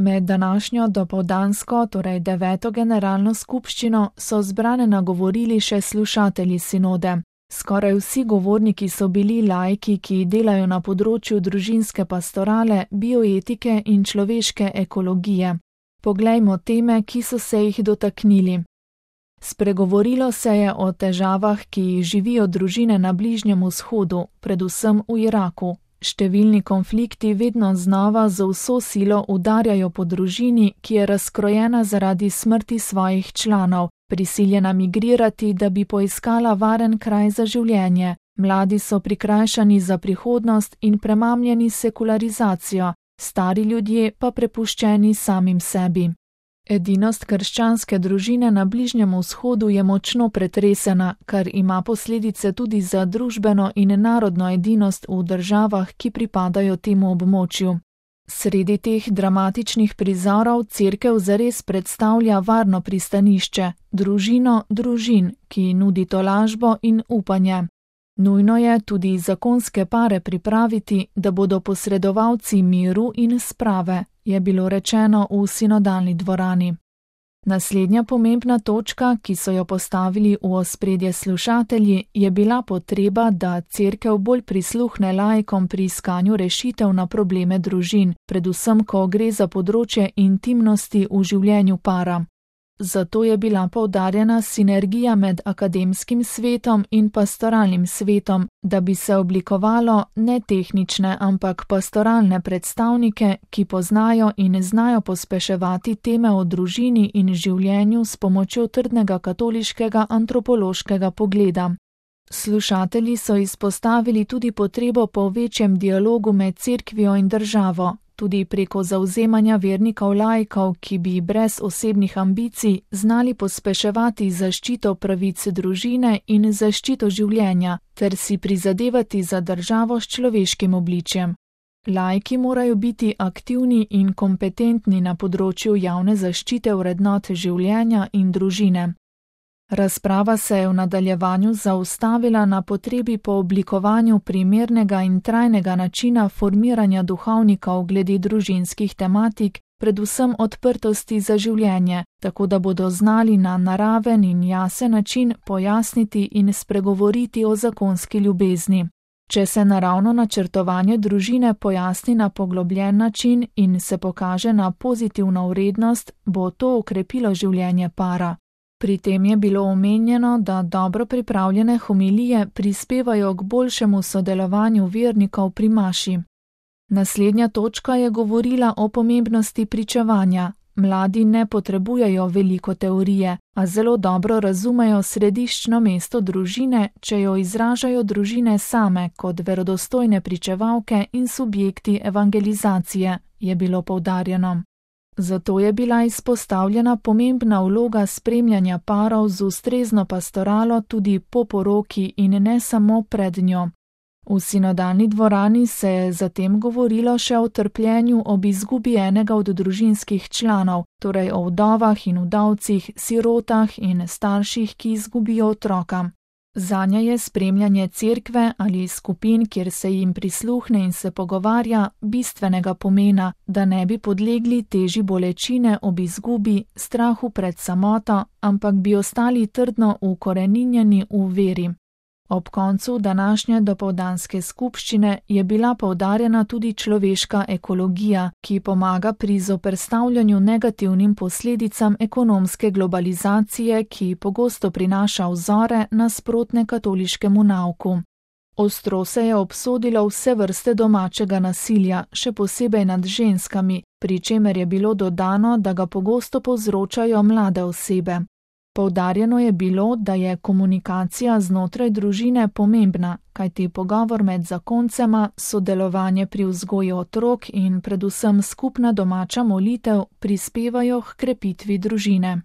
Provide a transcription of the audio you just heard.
Med današnjo dopoldansko, torej 9. generalno skupščino, so zbrane nagovorili še slušatelji sinode. Skoraj vsi govorniki so bili laiki, ki delajo na področju družinske pastorale, bioetike in človeške ekologije. Poglejmo teme, ki so se jih dotaknili. Spregovorilo se je o težavah, ki jih živijo družine na Bližnjem vzhodu, predvsem v Iraku. Številni konflikti vedno znova z vso silo udarjajo po družini, ki je razkrojena zaradi smrti svojih članov, prisiljena migrirati, da bi poiskala varen kraj za življenje. Mladi so prikrajšani za prihodnost in premamljeni s sekularizacijo, stari ljudje pa prepuščeni samim sebi. Edinost krščanske družine na Bližnjem vzhodu je močno pretresena, kar ima posledice tudi za družbeno in narodno edinost v državah, ki pripadajo temu območju. Sredi teh dramatičnih prizorov cerkev zares predstavlja varno pristanišče, družino družin, ki nudi tolažbo in upanje. Nujno je tudi zakonske pare pripraviti, da bodo posredovalci miru in sprave, je bilo rečeno v sinodalni dvorani. Naslednja pomembna točka, ki so jo postavili v ospredje slušatelji, je bila potreba, da cerkev bolj prisluhne laikom pri iskanju rešitev na probleme družin, predvsem ko gre za področje intimnosti v življenju para. Zato je bila poudarjena sinergija med akademskim svetom in pastoralnim svetom, da bi se oblikovalo ne tehnične, ampak pastoralne predstavnike, ki poznajo in znajo pospeševati teme o družini in življenju s pomočjo trdnega katoliškega antropološkega pogleda. Slušatelji so izpostavili tudi potrebo po večjem dialogu med cerkvijo in državo, tudi preko zavzemanja vernikov laikov, ki bi brez osebnih ambicij znali pospeševati zaščito pravic družine in zaščito življenja, ter si prizadevati za državo s človeškim obličjem. Laiki morajo biti aktivni in kompetentni na področju javne zaščite vrednot življenja in družine. Razprava se je v nadaljevanju zaustavila na potrebi po oblikovanju primernega in trajnega načina formiranja duhovnikov glede družinskih tematik, predvsem odprtosti za življenje, tako da bodo znali na naraven in jasen način pojasniti in spregovoriti o zakonski ljubezni. Če se naravno načrtovanje družine pojasni na poglobljen način in se pokaže na pozitivno vrednost, bo to okrepilo življenje para. Pri tem je bilo omenjeno, da dobro pripravljene homilije prispevajo k boljšemu sodelovanju vernikov pri maši. Naslednja točka je govorila o pomembnosti pričevanja. Mladi ne potrebujejo veliko teorije, a zelo dobro razumejo središčno mesto družine, če jo izražajo družine same kot verodostojne pričevalke in subjekti evangelizacije, je bilo poudarjeno. Zato je bila izpostavljena pomembna vloga spremljanja parov z ustrezno pastoralo tudi po poroki in ne samo pred njo. V sinodalni dvorani se je zatem govorilo še o trpljenju ob izgubi enega od družinskih članov, torej o vdovah in vdovcih, sirotah in starših, ki izgubijo otroka. Zanje je spremljanje cerkve ali skupin, kjer se jim prisluhne in se pogovarja, bistvenega pomena, da ne bi podlegli teži bolečine ob izgubi, strahu pred samoto, ampak bi ostali trdno ukoreninjeni v veri. Ob koncu današnje dopoldanske skupščine je bila poudarjena tudi človeška ekologija, ki pomaga pri zoperstavljanju negativnim posledicam ekonomske globalizacije, ki pogosto prinaša vzore nasprotne katoliškemu nauku. Ostro se je obsodilo vse vrste domačega nasilja, še posebej nad ženskami, pri čemer je bilo dodano, da ga pogosto povzročajo mlade osebe. Poudarjeno je bilo, da je komunikacija znotraj družine pomembna, kajti pogovor med zakoncema, sodelovanje pri vzgoji otrok in predvsem skupna domača molitev prispevajo h krepitvi družine.